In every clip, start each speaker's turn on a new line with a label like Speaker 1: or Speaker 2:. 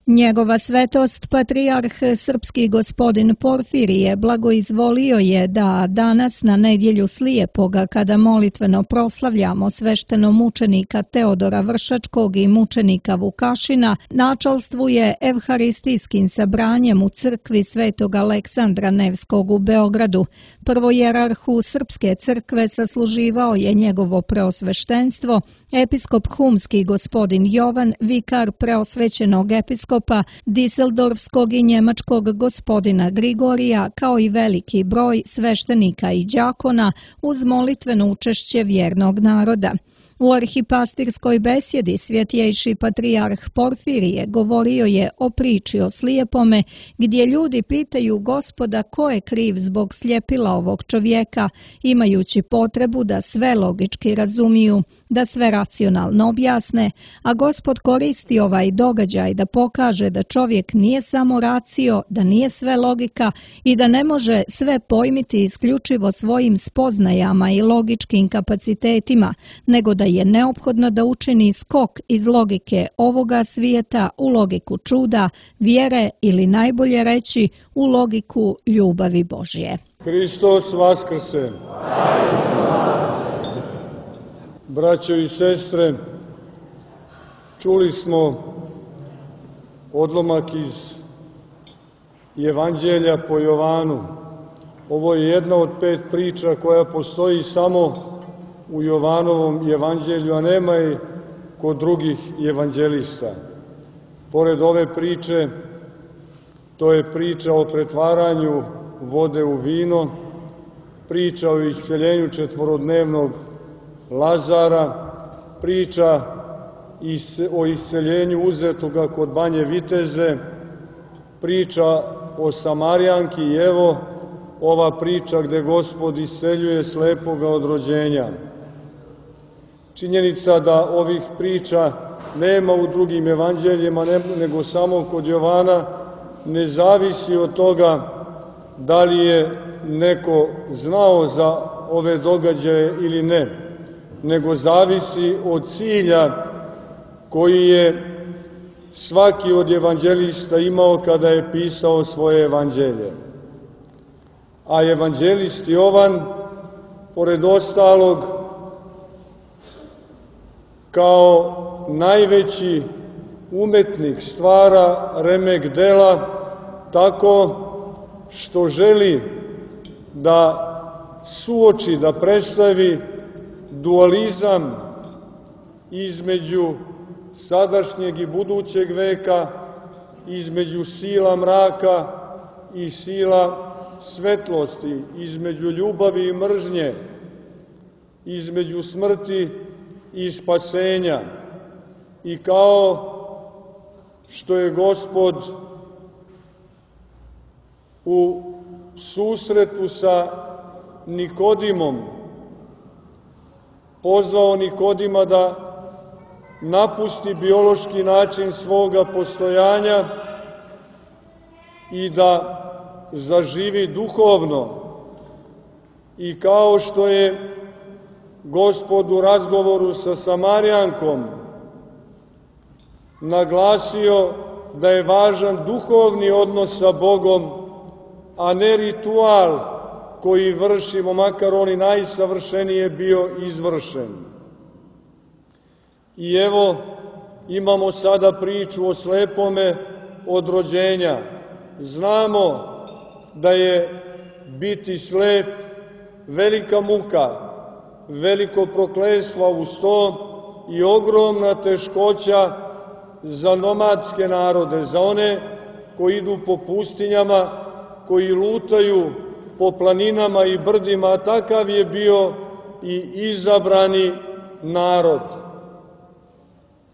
Speaker 1: Njegova svetost, patrijarh srpski gospodin Porfirije, blagoizvolio je da danas na nedjelju Slijepoga, kada molitveno proslavljamo sveštenomučenika Teodora Vršačkog i mučenika Vukašina, načalstvuje evharistijskim sabranjem u crkvi Svetog Aleksandra Nevskog u Beogradu. Prvojerarhu Srpske crkve sasluživao je njegovo preosveštenstvo, episkop humski gospodin Jovan, vikar preosvećenog episkopa Diseldorfskog i njemačkog gospodina Grigorija, kao i veliki broj sveštenika i đakona uz molitveno učešće vjernog naroda. U arhipastirskoj besjedi svjetjejši patrijarh Porfirije govorio je o priči o slijepome, gdje ljudi pitaju Gospoda ko je kriv zbog sljepila ovog čovjeka, imajući potrebu da sve logički razumiju, da sve racionalno objasne, a Gospod koristi ovaj događaj da pokaže da čovjek nije samo racio, da nije sve logika i da ne može sve pojmiti isključivo svojim spoznajama i logičkim kapacitetima, nego da je neophodno da učini skok iz logike ovoga svijeta u logiku čuda, vjere ili najbolje reći u logiku ljubavi Božje.
Speaker 2: Hristos vaskrse! Braćo i sestre, čuli smo odlomak iz Evanđelja po Jovanu. Ovo je jedna od 5 priča koja postoji samo u Jovanovom evanđelju, a nema i kod drugih evanđelista. Pored ove priče, to je priča o pretvaranju vode u vino, priča o isceljenju 4-dnevnog Lazara, priča o isceljenju uzetoga kod Banje Viteze, priča o Samarijanki i evo ova priča gde Gospod isceljuje slepoga od rođenja. Činjenica da ovih priča nema u drugim evanđeljima, nego samo kod Jovana, ne zavisi od toga da li je neko znao za ove događaje ili ne, nego zavisi od cilja koji je svaki od evanđelista imao kada je pisao svoje evanđelje. A evanđelist Jovan, pored ostalog, kao najveći umetnik stvara remek dela tako što želi da suoči, da predstavi dualizam između sadašnjeg i budućeg veka, između sila mraka i sila svetlosti, između ljubavi i mržnje, između smrti i spasenja. I kao što je Gospod u susretu sa Nikodimom pozvao Nikodima da napusti biološki način svoga postojanja i da zaživi duhovno, i kao što je Gospod u razgovoru sa Samarijankom naglasio da je važan duhovni odnos sa Bogom, a ne ritual koji vršimo, makar on i najsavršenije bio izvršen. I evo, imamo sada priču o slepome od rođenja. Znamo da je biti slep velika muka, veliko prokletstvo uz to i ogromna teškoća za nomadske narode, za one koji idu po pustinjama, koji lutaju po planinama i brdima, a takav je bio i izabrani narod.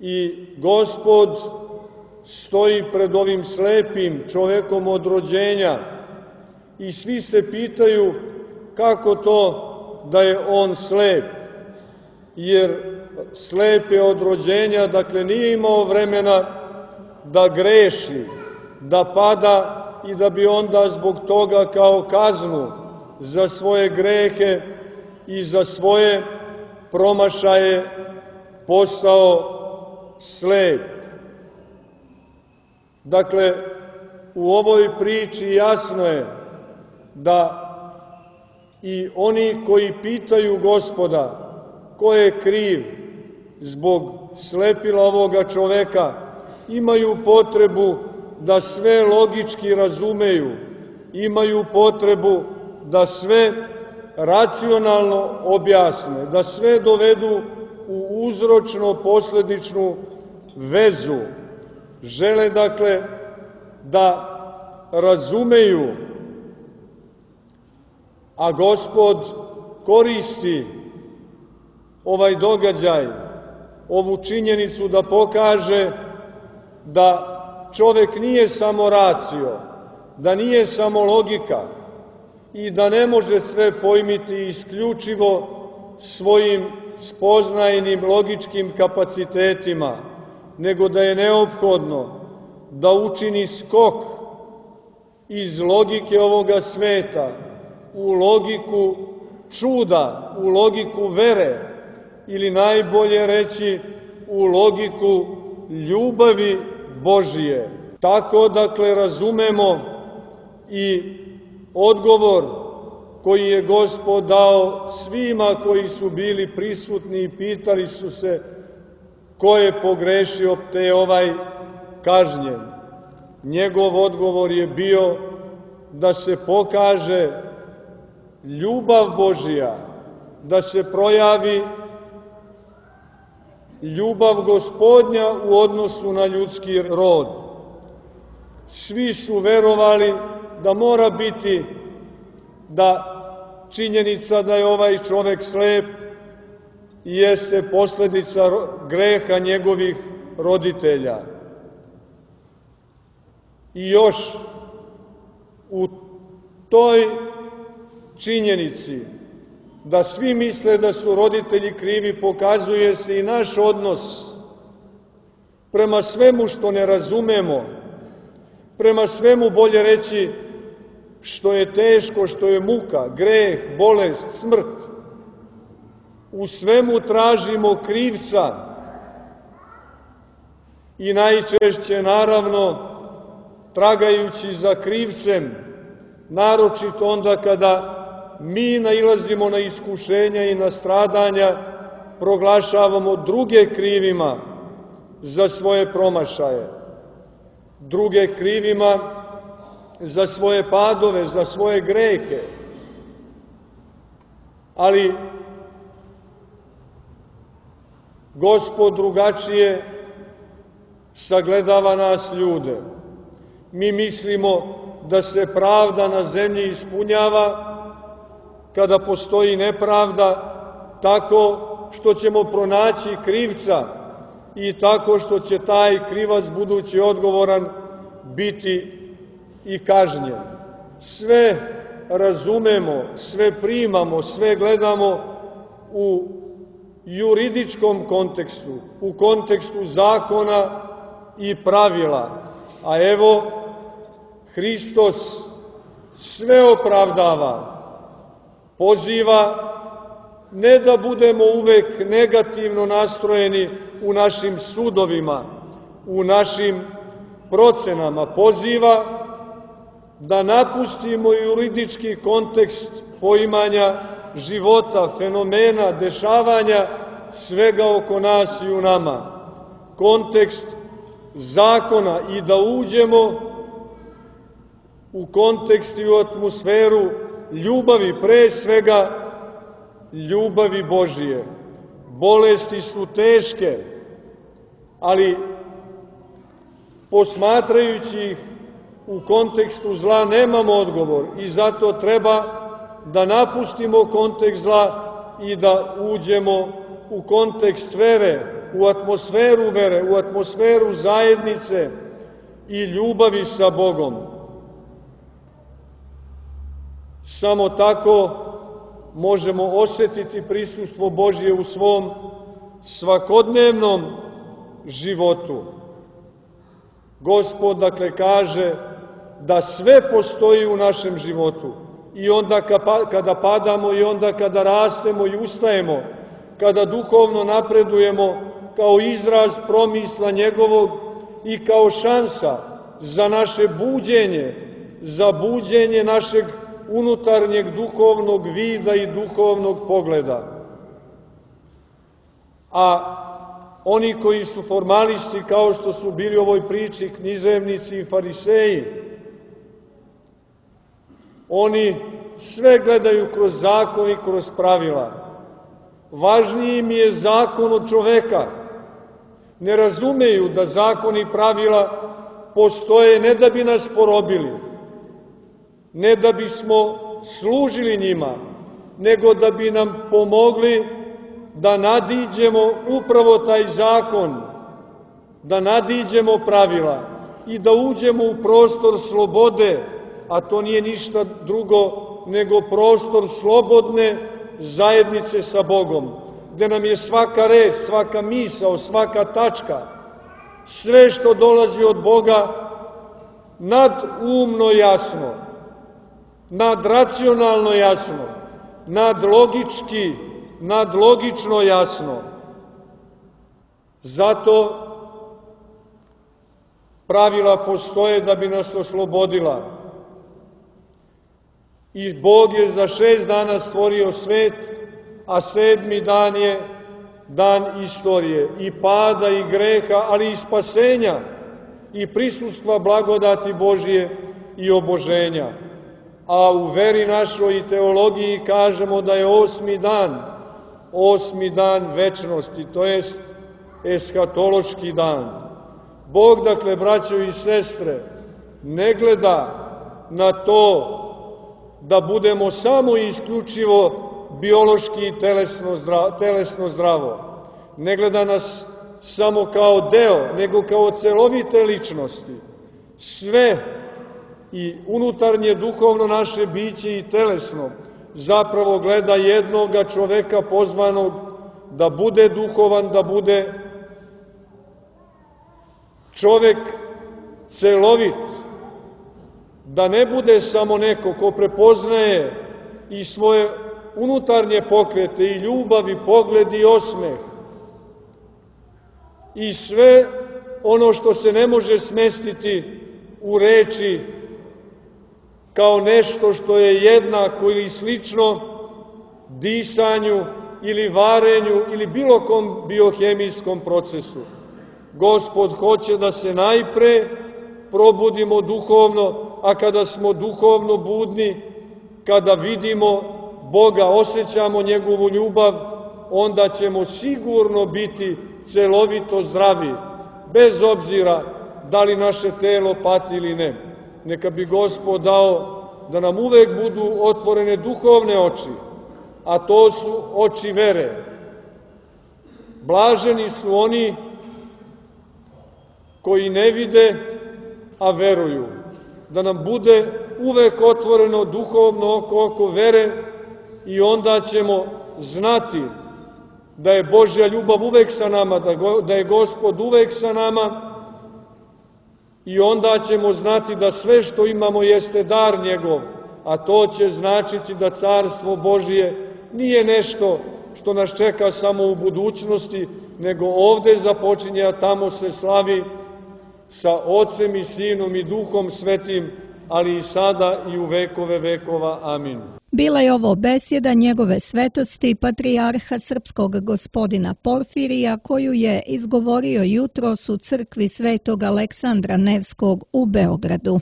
Speaker 2: I Gospod stoji pred ovim slepim čovekom od rođenja i svi se pitaju kako to da je on slep, jer slep je od rođenja, dakle nije imao vremena da greši, da pada i da bi onda zbog toga kao kaznu za svoje grehe i za svoje promašaje postao slep. Dakle, u ovoj priči jasno je da i oni koji pitaju Gospoda ko je kriv zbog slepila ovoga čoveka, imaju potrebu da sve logički razumeju, imaju potrebu da sve racionalno objasne, da sve dovedu u uzročno-posledičnu vezu. Žele, dakle, da razumeju, a Gospod koristi ovaj događaj, ovu činjenicu da pokaže da čovek nije samo racio, da nije samo logika i da ne može sve pojmiti isključivo svojim spoznajnim logičkim kapacitetima, nego da je neophodno da učini skok iz logike ovoga sveta u logiku čuda, u logiku vere, ili najbolje reći u logiku ljubavi Božije. Tako, dakle, razumemo i odgovor koji je Gospod dao svima koji su bili prisutni i pitali su se ko je pogrešio te je ovaj kažnjen. Njegov odgovor je bio da se pokaže ljubav Božija, da se projavi ljubav Gospodnja u odnosu na ljudski rod. Svi su verovali da mora biti da činjenica da je ovaj čovek slep jeste posledica greha njegovih roditelja. I još u toj činjenici da svi misle da su roditelji krivi, pokazuje se i naš odnos prema svemu što ne razumemo, prema svemu, bolje reći, što je teško, što je muka, greh, bolest, smrt. U svemu tražimo krivca i najčešće, naravno, tragajući za krivcem, naročito onda kada mi nailazimo na iskušenja i na stradanja, proglašavamo druge krivima za svoje promašaje, druge krivima za svoje padove, za svoje grehe. Ali Gospod drugačije sagledava nas ljude. Mi mislimo da se pravda na zemlji ispunjava kada postoji nepravda, tako što ćemo pronaći krivca i tako što će taj krivac, budući odgovoran, biti i kažnjen. Sve razumemo, sve primamo, sve gledamo u juridičkom kontekstu, u kontekstu zakona i pravila. A evo, Hristos sve opravdava, poziva ne da budemo uvek negativno nastrojeni u našim sudovima, u našim procenama, poziva da napustimo juridički kontekst poimanja života, fenomena, dešavanja, svega oko nas i u nama, kontekst zakona i da uđemo u kontekst i u atmosferu ljubavi, pre svega ljubavi Božije. Bolesti su teške, ali posmatrajući ih u kontekstu zla nemamo odgovor i zato treba da napustimo kontekst zla i da uđemo u kontekst vere, u atmosferu vere, u atmosferu zajednice i ljubavi sa Bogom. Samo tako možemo osetiti prisustvo Božje u svom svakodnevnom životu. Gospod, dakle, kaže da sve postoji u našem životu. I onda kada padamo, i onda kada rastemo i ustajemo, kada duhovno napredujemo kao izraz promisla njegovog i kao šansa za naše buđenje, za buđenje našeg unutarnjeg duhovnog vida i duhovnog pogleda. A oni koji su formalisti, kao što su bili u ovoj priči književnici i fariseji, oni sve gledaju kroz zakon i kroz pravila. Važniji im je zakon od čoveka. Ne razumeju da zakon i pravila postoje ne da bi nas porobili, ne da bismo služili njima, nego da bi nam pomogli da nadiđemo upravo taj zakon, da nadiđemo pravila i da uđemo u prostor slobode, a to nije ništa drugo nego prostor slobodne zajednice sa Bogom, gde nam je svaka reč, svaka misao, svaka tačka, sve što dolazi od Boga nadumno jasno, nadracionalno jasno, nadlogično jasno. Zato pravila postoje da bi nas oslobodila. I Bog je za 6 dana stvorio svet, a 7. dan je dan istorije i pada i greha, ali i spasenja i prisustva blagodati Božije i oboženja. A u veri našoj i teologiji kažemo da je 8. dan večnosti, to jest eskatološki dan. Bog, dakle, braćo i sestre, ne gleda na to da budemo samo i isključivo biološki i telesno zdravo. Ne gleda nas samo kao deo, nego kao celovite ličnosti. Sve i unutarnje duhovno naše biće i telesno zapravo gleda jednoga čoveka pozvanog da bude duhovan, da bude čovek celovit, da ne bude samo neko ko prepoznaje i svoje unutarnje pokrete i ljubav i pogled i osmeh i sve ono što se ne može smestiti u reči kao nešto što je jednako ili slično disanju ili varenju ili bilo kom biohemijskom procesu. Gospod hoće da se najpre probudimo duhovno, a kada smo duhovno budni, kada vidimo Boga, osjećamo njegovu ljubav, onda ćemo sigurno biti celovito zdravi, bez obzira da li naše telo pati ili ne. Neka bi Gospod dao da nam uvek budu otvorene duhovne oči, a to su oči vere. Blaženi su oni koji ne vide, a veruju. Da nam bude uvek otvoreno duhovno oko vere i onda ćemo znati da je Božja ljubav uvek sa nama, da je Gospod uvek sa nama i onda ćemo znati da sve što imamo jeste dar njegov, a to će značiti da Carstvo Božije nije nešto što nas čeka samo u budućnosti, nego ovde započinje, a tamo se slavi sa Otcem i Sinom i Duhom Svetim, ali i sada i u vekove vekova. Amin.
Speaker 1: Bila je ovo besjeda njegove svetosti patrijarha srpskog gospodina Porfirija, koju je izgovorio jutros u crkvi Svetog Aleksandra Nevskog u Beogradu.